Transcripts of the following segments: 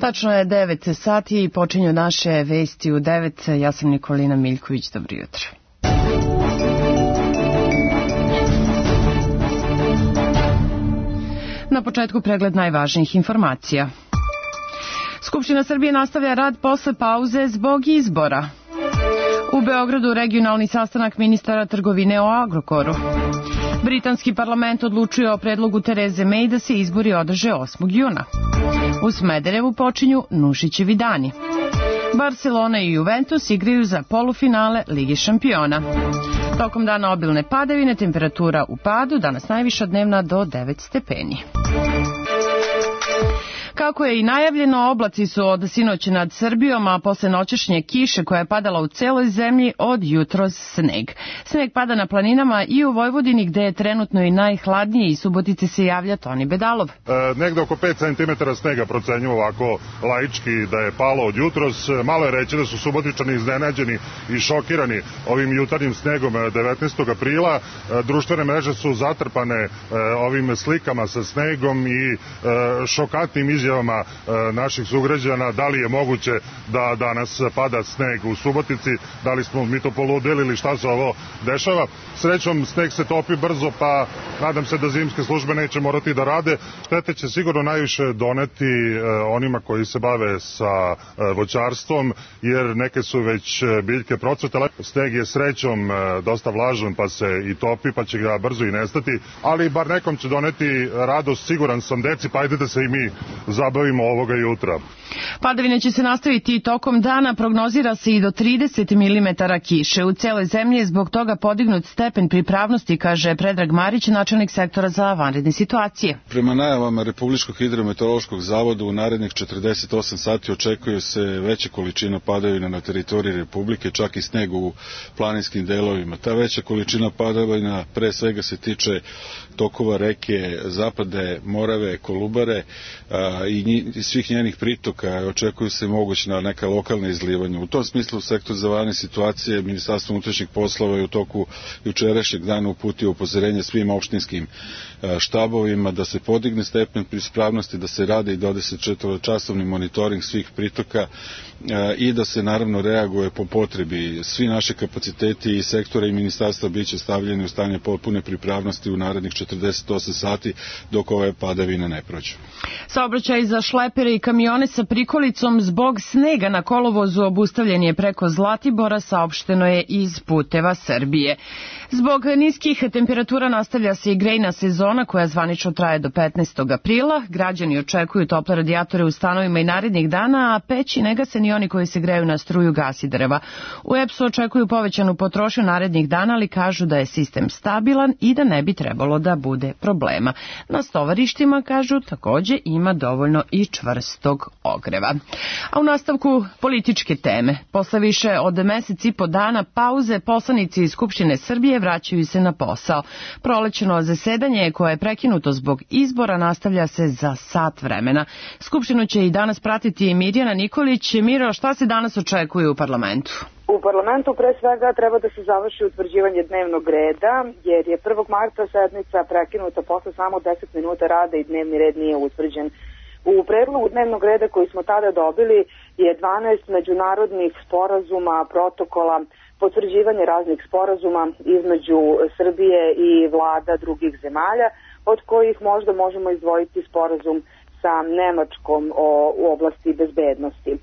Tačno je 9 sati i počinju naše vesti u 9. Ja sam Nikolina Miljković, dobro jutro. Na početku pregled najvažnijih informacija. Skupština Srbije nastavlja rad posle pauze zbog izbora. U Beogradu regionalni sastanak ministara trgovine o Agrokoru. Britanski parlament odlučuje o predlogu Tereze May da se izbori održe 8. juna. U Smederevu počinju Nušićevi dani. Barcelona i Juventus igraju za polufinale Lige šampiona. Tokom dana obilne padavine, temperatura u padu, danas najviša dnevna do 9 stepeni. Kako je i najavljeno, oblaci su od sinoć nad Srbijom, a posle noćašnje kiše koja je padala u celoj zemlji, od jutros sneg. Sneg pada na planinama i u Vojvodini, gde je trenutno i najhladnije, i Subotici se javlja Toni Bedalov. Negde oko 5 cm snega procenju ovako laički da je palo od jutros. Malo je reći da su Subotičani iznenađeni i šokirani ovim jutarnjim snegom 19. aprila. Društvene mreže su zatrpane ovim slikama sa snegom i šokantnim izjavama naših sugrađana, da li je moguće da danas pada sneg u Subotici, da li smo mi to poludeli ili šta se ovo dešava. Srećom, sneg se topi brzo, pa nadam se da zimske službe neće morati da rade. Štete će sigurno najviše doneti onima koji se bave sa voćarstvom, jer neke su već biljke procvetale. Sneg je srećom dosta vlažan, pa se i topi, pa će ga brzo i nestati, ali bar nekom će doneti radost, siguran sam, deci, pa ajde da se i mi zabavimo ovoga jutra. Padavine će se nastaviti i tokom dana, prognozira se i do 30 mm kiše. U celoj zemlji je zbog toga podignut stepen pripravnosti, kaže Predrag Marić, načelnik sektora za vanredne situacije. Prema najavama Republičkog hidrometeorološkog zavoda u narednih 48 sati očekuje se veća količina padavina na teritoriji Republike, čak i sneg u planinskim delovima. Ta veća količina padavina pre svega se tiče tokova reke Zapade, Morave, Kolubare i svih njenih pritoka. Očekuju se mogućna neka lokalna izlivanja. U tom smislu sektor za vanredne situacije Ministarstvo unutrašnjih poslova je u toku jučerašnjeg dana uputio upozorenje svim opštinskim štabovima da se podigne stepen ispravnosti, da se radi i 24-časovni monitoring svih pritoka i da se naravno reaguje po potrebi. Svi naši kapaciteti i sektora i ministarstva biće stavljeni u stanje potpune pripravnosti u narednih 48 sati dok ove padavine ne prođu. Saobraćaj za šlepere i kamione sa prikolicom zbog snega na kolovozu obustavljen je preko Zlatibora, saopšteno je iz Puteva Srbije. Zbog niskih temperatura nastavlja se i grejna sezona koja zvanično traje do 15. aprila. Građani očekuju tople radijatore u stanovima i narednih dana, a peći ne gase ni oni koji se greju na struju, gas i drva. U EPS-u očekuju povećanu potrošnju narednih dana, ali kažu da je sistem stabilan i da ne bi trebalo da bude problema. Na stovarištima, kažu, takođe ima dovoljno i čvrstog ogreva. A u nastavku političke teme. Posle više od mesec i po dana pauze, poslanici iz Skupštine Srbije vraćaju se na posao. Prolećno zasedanje koje je prekinuto zbog izbora nastavlja se za sat vremena. Skupštinu će i danas pratiti Mirjana Nikolić. Miro, šta se danas očekuje u parlamentu? U parlamentu pre svega treba da se završi utvrđivanje dnevnog reda, jer je 1. marta sednica prekinuta posle samo 10 minuta rada i dnevni red nije utvrđen. U predlogu dnevnog reda koji smo tada dobili je 12 međunarodnih sporazuma, protokola, potvrđivanje raznih sporazuma između Srbije i vlada drugih zemalja, od kojih možda možemo izdvojiti sporazum sa Nemačkom u oblasti bezbednosti.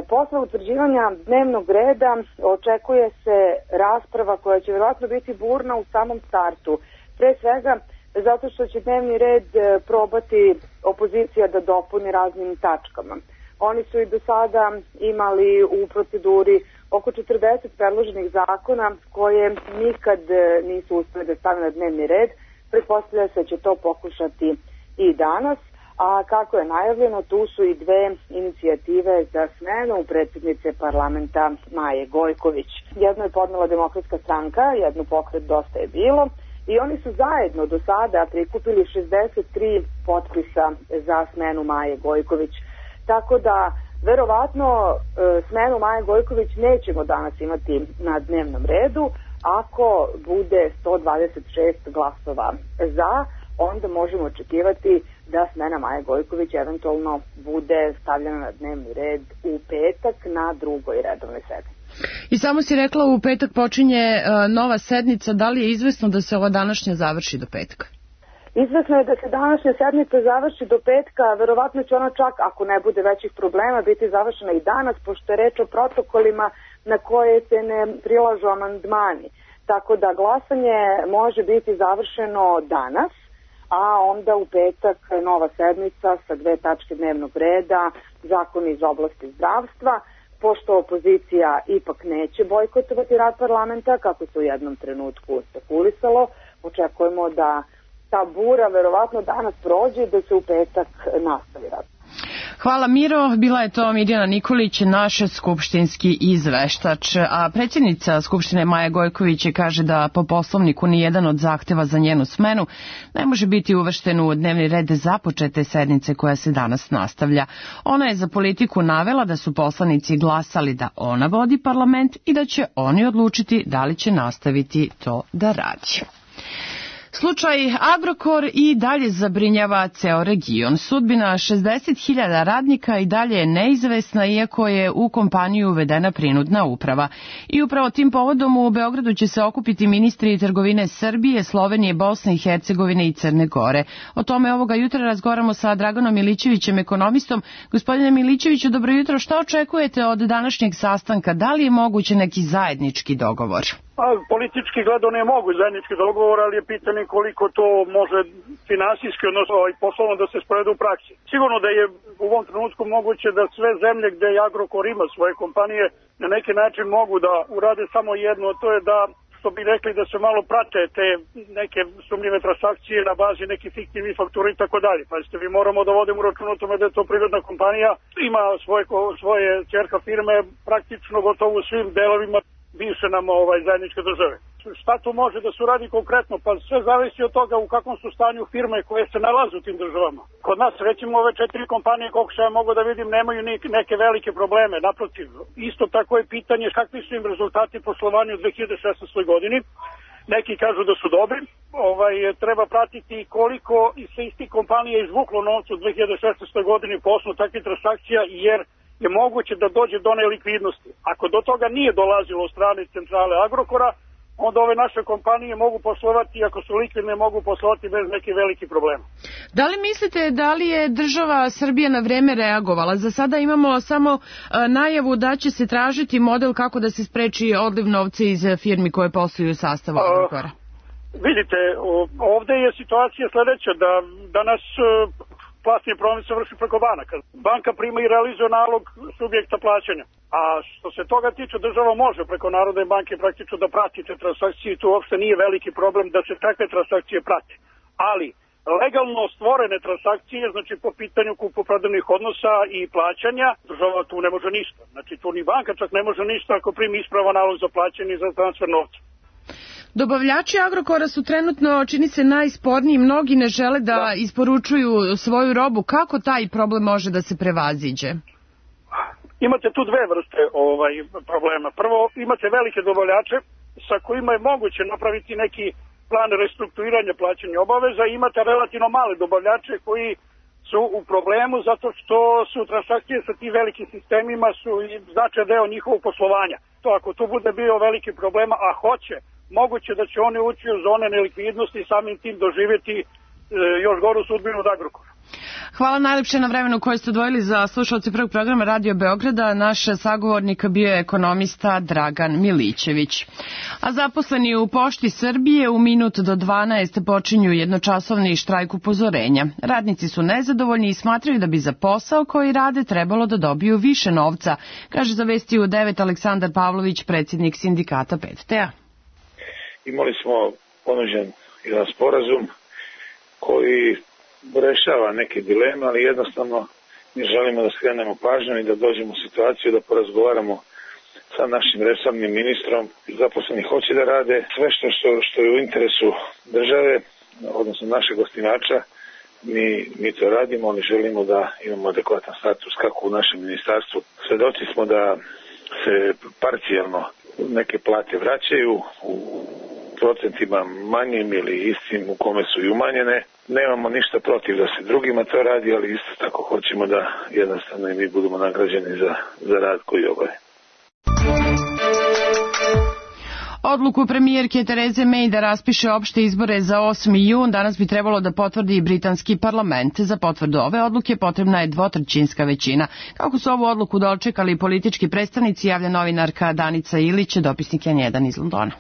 Posle utvrđivanja dnevnog reda očekuje se rasprava koja će vjerojatno biti burna u samom startu. Pre svega zato što će dnevni red probati opozicija da dopuni raznim tačkama. Oni su i do sada imali u proceduri oko 40 predloženih zakona koje nikad nisu uspeli da stave na dnevni red. Pretpostavlja se da će to pokušati i danas. A kako je najavljeno, tu su i dve inicijative za smenu predsjednice parlamenta Maje Gojković. Jedno je podnela Demokratska stranka, jedno Pokret Dosta je bilo, i oni su zajedno do sada prikupili 63 potpisa za smenu Maje Gojković. Tako da, verovatno, smenu Maje Gojković nećemo danas imati na dnevnom redu, ako bude 126 glasova za, onda možemo očekivati da smena Maje Gojković eventualno bude stavljena na dnevni red u petak na drugoj redovnoj sednici. I samo si rekla u petak počinje nova sednica, da li je izvesno da se ova današnja završi do petka? Izvesno je da se današnja sednica završi do petka, verovatno će ona čak, ako ne bude većih problema, biti završena i danas, pošto je reč o protokolima na koje se ne prilažu amandmani. Tako da glasanje može biti završeno danas, a onda u petak nova sednica sa 2 tačke dnevnog reda, zakon iz oblasti zdravstva, pošto opozicija ipak neće bojkotovati rad parlamenta, kako se u jednom trenutku spekulisalo, očekujemo da ta bura verovatno danas prođe i da se u petak nastavi rad. Hvala Miro, bila je to Mirjana Nikolić, naš skupštinski izveštač, a predsjednica Skupštine Maja Gojković kaže da po poslovniku nijedan od zahteva za njenu smenu ne može biti uvršten u dnevni red započete sednice koja se danas nastavlja. Ona je za Politiku navela da su poslanici glasali da ona vodi parlament i da će oni odlučiti da li će nastaviti to da radi. Slučaj Agrokor i dalje zabrinjava ceo region. Sudbina 60.000 radnika i dalje je neizvesna, iako je u kompaniju uvedena prinudna uprava. I upravo tim povodom u Beogradu će se okupiti ministri trgovine Srbije, Slovenije, Bosne i Hercegovine i Crne Gore. O tome ovoga jutra razgovaramo sa Draganom Milićevićem, ekonomistom. Gospodine Milićeviću, dobro jutro. Šta očekujete od današnjeg sastanka? Da li je moguće neki zajednički dogovor? Politički gledano je moguć zajednički dogovor, ali je pitanje koliko to može finansijski, odnosno poslovno da se sprovede u praksi. Sigurno da je u ovom trenutku moguće da sve zemlje gde Agrokor ima svoje kompanije na neki način mogu da urade samo jedno, to je da, što bi rekli, da se malo prate te neke sumnjive transakcije na bazi nekih fiktivnih faktura i tako dalje. Pazite, vi moramo da vodimo račun o tome da je to privredna kompanija, ima svoje ćerka firme praktično gotovo u svim delovima bivše nam zajedničke države. Šta tu može da se uradi konkretno? Pa sve zavisi od toga u kakvom su stanju firme koje se nalaze u tim državama. Kod nas, recimo, ove 4 kompanije, koliko se ja mogu da vidim, nemaju neke velike probleme. Naprotiv, isto tako je pitanje kakvi su im rezultati poslovanja u 2016. godini. Neki kažu da su dobri. Treba pratiti koliko se iz tih kompanija izvuklo novca u 2016. godini po osnovu takvih transakcija, jer je moguće da dođe do nelikvidnosti. Ako do toga nije dolazilo od strane centrale Agrokora, onda ove naše kompanije mogu poslovati, ako su likvidne, mogu poslovati bez nekih velikih problema. Da li mislite da li je država Srbija na vreme reagovala? Za sada imamo samo najavu da će se tražiti model kako da se spreči odliv novca iz firmi koje posluju u sastavu Agrokora. Vidite, ovde je situacija sledeća, da danas platni promet se vrši preko banaka. Banka prima i realizuje nalog subjekta plaćanja. A što se toga tiče, država može preko Narodne banke praktično da prati te transakcije i tu uopšte nije veliki problem da se takve transakcije prate. Ali legalno stvorene transakcije, znači po pitanju kupoprodajnih odnosa i plaćanja, država tu ne može ništa. Znači tu ni banka čak ne može ništa ako primi ispravan nalog za plaćanje i za transfer novca. Dobavljači Agrokora su trenutno, čini se, najsporniji. Mnogi ne žele da isporučuju svoju robu. Kako taj problem može da se prevaziđe? Imate tu dve vrste problema. Prvo, imate velike dobavljače sa kojima je moguće napraviti neki plan restrukturiranja plaćanja obaveza i imate relativno male dobavljače koji su u problemu zato što su transakcije sa tim velikim sistemima su značajan deo njihovog poslovanja. To ako tu bude bio veliki problema, a hoće, moguće da će oni ući u zone nelikvidnosti i samim tim doživjeti još goru sudbinu od Agrokora. Hvala najlepše na vremenu koje ste odvojili za slušalce prvog programa Radio Beograda. Naš sagovornik bio je ekonomista Dragan Milićević. A zaposleni u Pošti Srbije u minut do 12 počinju jednočasovni štrajk upozorenja. Radnici su nezadovoljni i smatraju da bi za posao koji rade trebalo da dobiju više novca, kaže za Vesti u 9 Aleksandar Pavlović, predsjednik sindikata PTT-a. Imali smo ponuđen jedan sporazum koji rešava neke dileme, ali jednostavno mi želimo da skrenemo pažnju i da dođemo u situaciju da porazgovaramo sa našim resornim ministrom. Zaposleni hoće da rade sve što je u interesu države, odnosno našeg osnivača. Mi to radimo, ali želimo da imamo adekvatan status kako u našem ministarstvu. Svedoci smo da se parcijalno neke plate vraćaju u procentima manjim ili istim u kome su i umanjene. Nemamo ništa protiv da se drugima to radi, ali isto tako hoćemo da jednostavno i mi budemo nagrađeni za rad koji obave. Odluku premijerke Tereze May da raspiše opšte izbore za 8. jun danas bi trebalo da potvrdi i britanski parlament. Za potvrdu ove odluke potrebna je dvotrećinska većina. Kako su ovu odluku dočekali politički predstavnici, javlja novinarka Danica Ilić, dopisnik N1 iz Londona.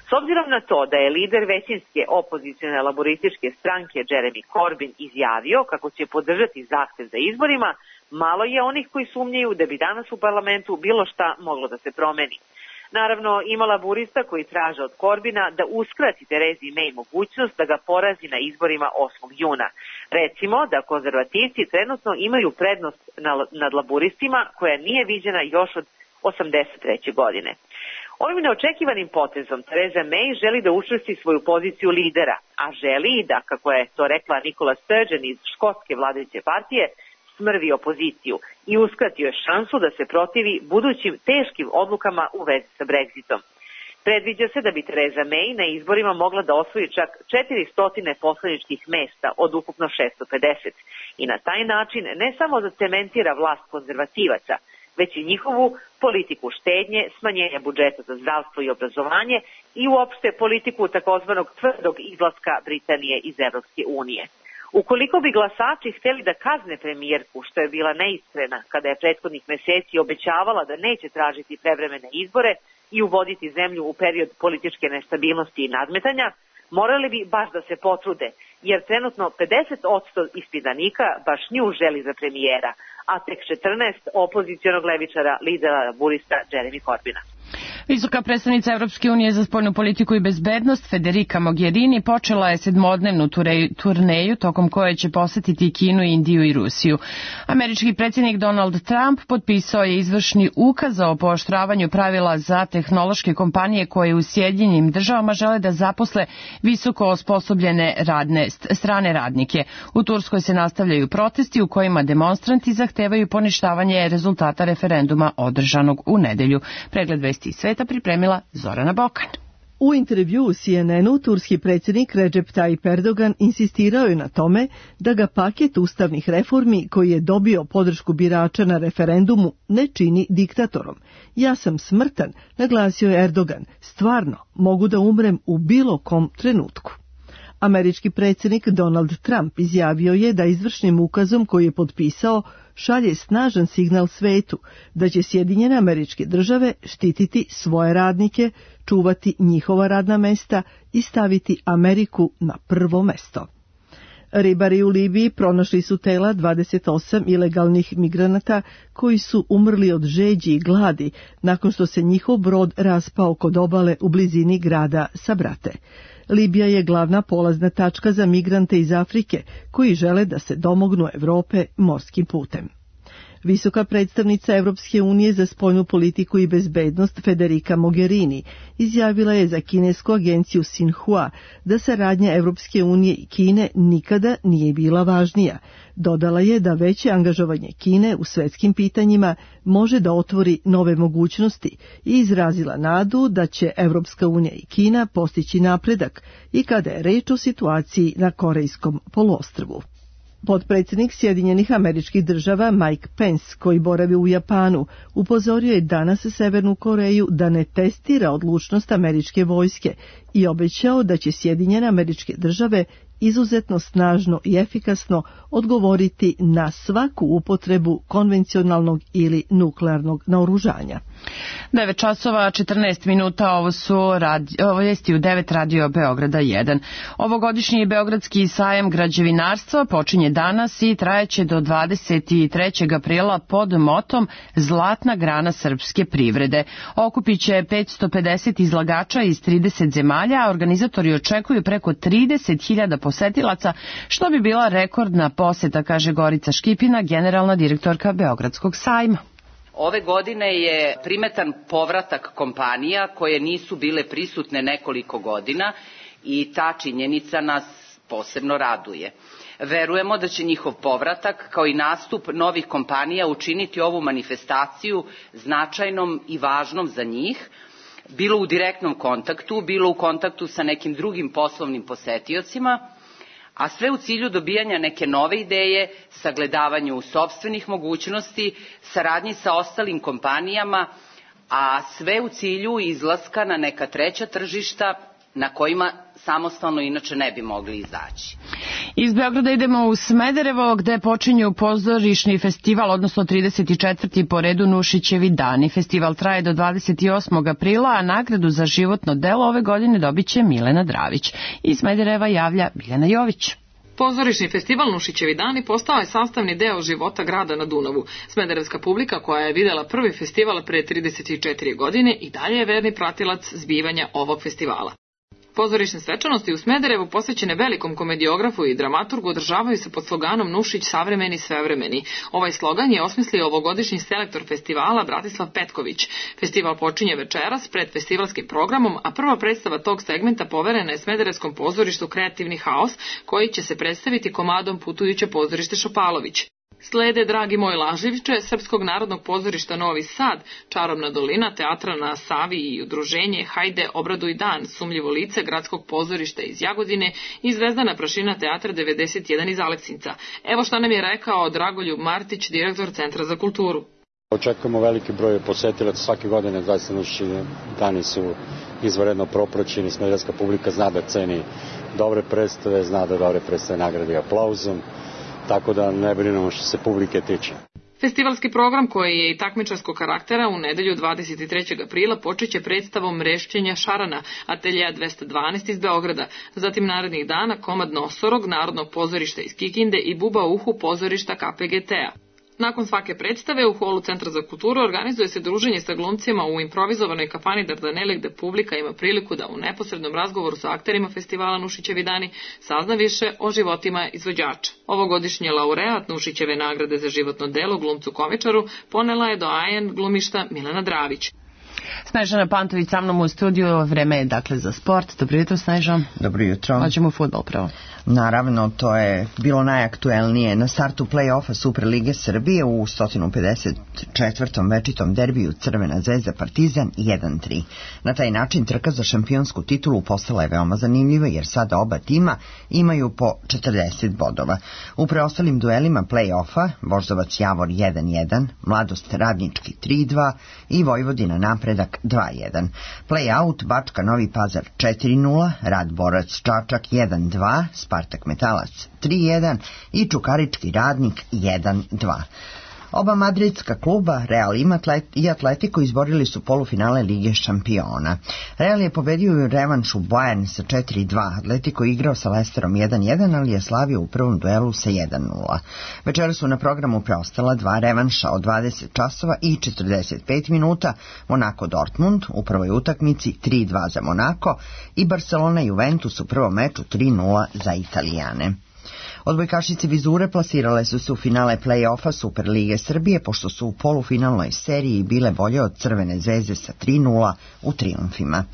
S obzirom na to da je lider većinske opozicione laborističke stranke Jeremy Corbyn izjavio kako će podržati zahtev za izborima, malo je onih koji sumnjaju da bi danas u parlamentu bilo šta moglo da se promeni. Naravno, ima laburista koji traže od Corbina da uskrati Terezi May mogućnost da ga porazi na izborima 8. juna. Recimo da konzervativci trenutno imaju prednost nad laburistima koja nije viđena još od 1983. godine. Ovim neočekivanim potezom Tereza May želi da učvrsti svoju poziciju lidera, a želi i da, kako je to rekla Nicola Sturgeon iz škotske vladajuće partije, smrvi opoziciju i uskratio je šansu da se protivi budućim teškim odlukama u vezi sa Brexitom. Predviđa se da bi Tereza May na izborima mogla da osvoji čak 400 poslaničkih mesta od ukupno 650 i na taj način ne samo zacementira vlast konzervativaca, već i njihovu politiku štednje, smanjenja budžeta za zdravstvo i obrazovanje i uopšte politiku takozvanog tvrdog izlaska Britanije iz Evropske unije. Ukoliko bi glasači hteli da kazne premijerku, što je bila neiskrena kada je prethodnih meseci obećavala da neće tražiti prevremene izbore i uvoditi zemlju u period političke nestabilnosti i nadmetanja, morali bi baš da se potrude, jer trenutno 50% ispitanika baš nju želi za premijera, a tek 14 opozicionog levičara lidera laburista Jeremy Corbyna. Visoka predstavnica Evropske unije za spoljnu politiku i bezbednost Federica Mogherini počela je 7-dnevnu turneju tokom koje će posetiti Kinu, Indiju i Rusiju. Američki predsjednik Donald Trump potpisao je izvršni ukaz o pooštravanju pravila za tehnološke kompanije koje u Sjedinjenim državama žele da zaposle visoko osposobljene strane radnike. U Turskoj se nastavljaju protesti u kojima demonstranti zahtevaju poništavanje rezultata referenduma održanog u nedelju. Pregled vesti iz sveta pripremila Zorana Bokan. U intervju u CNN-u turski predsjednik Recep Tayyip Erdogan insistirao je na tome da ga paket ustavnih reformi koji je dobio podršku birača na referendumu ne čini diktatorom. Ja sam smrtan, naglasio je Erdogan, stvarno mogu da umrem u bilo kom trenutku. Američki predsjednik Donald Trump izjavio je da izvršnim ukazom koji je potpisao šalje snažan signal svetu da će Sjedinjene Američke Države štititi svoje radnike, čuvati njihova radna mesta i staviti Ameriku na prvo mesto. Ribari u Libiji pronašli su tela 28 ilegalnih migranata koji su umrli od žeđi i gladi nakon što se njihov brod raspao kod obale u blizini grada Sabrate. Libija je glavna polazna tačka za migrante iz Afrike koji žele da se domognu Evrope morskim putem. Visoka predstavnica Evropske unije za spoljnu politiku i bezbednost Federica Mogherini izjavila je za kinesku agenciju Xinhua da saradnja Evropske unije i Kine nikada nije bila važnija. Dodala je da veće angažovanje Kine u svetskim pitanjima može da otvori nove mogućnosti i izrazila nadu da će Evropska unija i Kina postići napredak i kada je reč o situaciji na Korejskom poluostrvu. Potpredsjednik Sjedinjenih Američkih Država Mike Pence, koji boravi u Japanu, upozorio je danas Severnu Koreju da ne testira odlučnost američke vojske i obećao da će Sjedinjene Američke Države izuzetno snažno i efikasno odgovoriti na svaku upotrebu konvencionalnog ili nuklearnog naoružanja. 9 časova 14 minuta, ovo su vijesti u 9 radio Beograda 1. Ovogodišnji Beogradski sajam građevinarstva počinje danas i trajeće do 23. aprila pod motom Zlatna grana srpske privrede. Okupiće 550 izlagača iz 30 zemalja, a organizatori očekuju preko 30.000 posetilaca, što bi bila rekordna poseta, kaže Gorica Škipina, generalna direktorka Beogradskog sajma. Ove godine je primetan povratak kompanija koje nisu bile prisutne nekoliko godina i ta činjenica nas posebno raduje. Verujemo da će njihov povratak kao i nastup novih kompanija učiniti ovu manifestaciju značajnom i važnom za njih, bilo u direktnom kontaktu, bilo u kontaktu sa nekim drugim poslovnim posetiocima, a sve u cilju dobijanja neke nove ideje, sagledavanju sopstvenih mogućnosti, saradnji sa ostalim kompanijama, a sve u cilju izlaska na neka treća tržišta na kojima samostalno inače ne bi mogli izaći. Iz Beograda idemo u Smederevo gde počinju pozorišni festival, odnosno 34. po redu Nušićevi dani. Festival traje do 28. aprila, a nagradu za životno delo ove godine dobit će Milena Dravić. Iz Smedereva javlja Biljana Jović. Pozorišni festival Nušićevi dani postao je sastavni deo života grada na Dunavu. Smederevska publika koja je videla prvi festival pre 34 godine i dalje je verni pratilac zbivanja ovog festivala. Pozorišne svečanosti u Smederevu posvećene velikom komediografu i dramaturgu održavaju se pod sloganom Nušić savremeni svevremeni. Ovaj slogan je osmislio ovogodišnji selektor festivala Bratislav Petković. Festival počinje večeras pred festivalskim programom, a prva predstava tog segmenta poverena je Smederevskom pozorištu Kreativni haos, koji će se predstaviti komadom Putujuće pozorište Šopalović. Slede Dragi moj lažljivče, Srpskog narodnog pozorišta Novi Sad, Čarobna dolina, Teatra na Savi i udruženje Hajde obraduj dan, Sumljivo lice Gradskog pozorišta iz Jagodine i Zvezdana prašina Teatra 91 iz Aleksinca. Evo šta nam je rekao Dragoljub Martić, direktor Centra za kulturu. Očekujemo veliki broj posetilaca svake godine, zaista Nušićevi dani su izvanredno propraćeni, smederevska publika zna da ceni dobre predstave, zna da dobre predstave nagradi aplauzom, tako da ne brinemo što se publike tiče. Festivalski program, koji je i takmičarskog karaktera, u nedelju 23. aprila počeće predstavom Rešćenja šarana, ateljeja 212 iz Beograda, zatim narednih dana komad Nosorog, Narodnog pozorišta iz Kikinde i Buba uhu pozorišta KPGT-a. Nakon svake predstave u holu Centra za kulturu organizuje se druženje sa glumcima u improvizovanoj kafani Dardanele, gde publika ima priliku da u neposrednom razgovoru sa akterima festivala Nušićevi dani sazna više o životima izvođača. Ovogodišnji laureat Nušićeve nagrade za životno delo glumcu komičaru ponela je doajen glumišta Milena Dravić. Snežana Pantović sa mnom u studiju, vreme je dakle za sport. Dobro jutro, Snežo. Dobro jutro. Hoćemo u fudbal pravo. Naravno, to je bilo najaktuelnije. Na startu play-offa Superlige Srbije u 154. večitom derbiju Crvena zvezda Partizan 1-3. Na taj način trka za šampionsku titulu postala je veoma zanimljiva jer sada oba tima imaju po 40 bodova. U preostalim duelima play-offa Voždovac Javor 1-1, Mladost Radnički 3-2 i Vojvodina Napredak 2-1. Play-out Bačka Novi Pazar 4-0, Rad Borac Čačak 1-2, Spartak Metalac 3-1 i Čukarički Radnik 1-2. Oba madridska kluba, Real i Atletico, izborili su polufinale Lige šampiona. Real je pobedio u revanšu Bayern sa 4-2, Atletico igrao sa Leicesterom 1-1, ali je slavio u prvom duelu sa 1-0. Večera su na programu preostala dva revanša od 20 časova i 45 minuta, Monaco Dortmund u prvoj utakmici 3-2 za Monaco i Barcelona Juventus u prvom meču 3-0 za Italijane. Odbojkašice Vizure plasirale su se u finale play-offa Superlige Srbije, pošto su u polufinalnoj seriji bile bolje od Crvene zvezde sa 3-0 u trijumfima.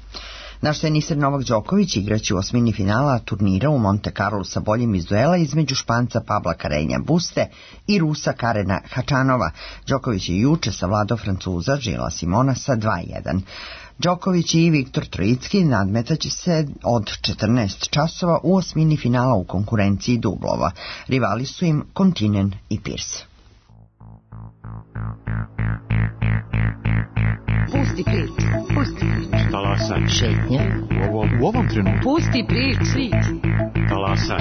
Naš teniser Novak Đoković igraće u osmini finala turnira u Monte Carlo sa boljim iz duela između Španca Pabla Carreña Buste i Rusa Karena Hačanova. Đoković je juče savladao Francuza Žila Simona sa 2-1. Đoković i Viktor Trojicki nadmetaće se od 14 časova u osmini finala u konkurenciji dublova. Rivali su im Kontinen i Pierce. Pusti prič, pusti prič. Talasaj. Šetnja. U ovom trenutku. Pusti prič. Talasaj.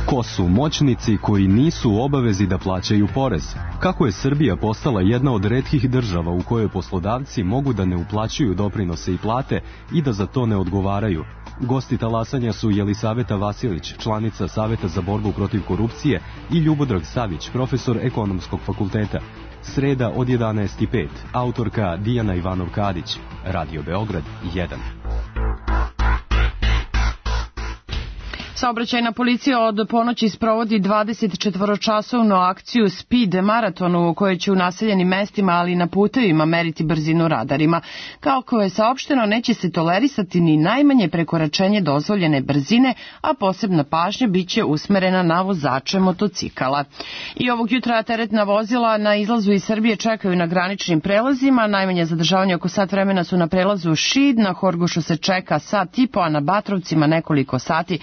Ko su moćnici koji nisu u obavezi da plaćaju porez? Kako je Srbija postala jedna od retkih država u kojoj poslodavci mogu da ne uplaćuju doprinose i plate i da za to ne odgovaraju? Gosti talasanja su Jelisaveta Vasilić, članica Saveta za borbu protiv korupcije, i Ljubodrag Savić, profesor Ekonomskog fakulteta. Sreda od 11:05, autorka Dijana Ivanov-Kadić, Radio Beograd 1. S Saobraćajna policija od ponoći sprovodi 24-časovnu akciju Speed maratonu u kojoj će u naseljenim mestima, ali i na putevima meriti brzinu radarima. Kako je saopšteno, neće se tolerisati ni najmanje prekoračenje dozvoljene brzine, a posebna pažnja biće usmerena na vozače motocikala. I ovog jutra teretna vozila na izlazu iz Srbije čekaju na graničnim prelazima. Najmanje zadržavanje oko sat vremena su na prelazu Šid, na Horgošu se čeka sat i po, a na Batrovcima nekoliko sati.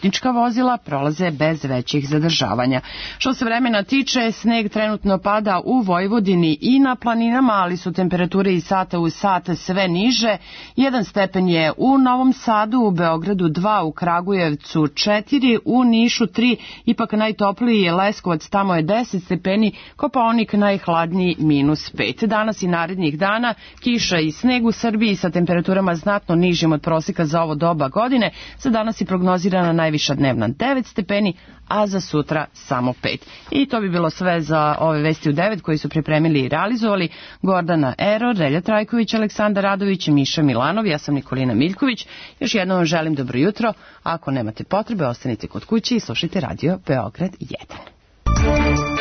Putnička vozila prolaze bez većih zadržavanja. Što se vremena tiče, sneg trenutno pada u Vojvodini i na planinama, ali su temperature iz sata u sat sve niže. 1 stepen je u Novom Sadu, u Beogradu 2, u Kragujevcu 4, u Nišu 3, ipak najtopliji je Leskovac, tamo je 10 stepeni, Kopaonik najhladniji -5. Danas i narednih dana kiša i sneg u Srbiji sa temperaturama znatno nižim od proseka za ovo doba godine. Za danas je prognozirana najviša dnevna 9 stepeni, a za sutra samo 5. I to bi bilo sve za ove vesti u 9 koji su pripremili i realizovali Gordana Eror, Relja Trajković, Aleksandar Radović, Miša Milanov, ja sam Nikolina Miljković. Još jednom vam želim dobro jutro. Ako nemate potrebe, ostanite kod kuće i slušajte radio Beograd 1.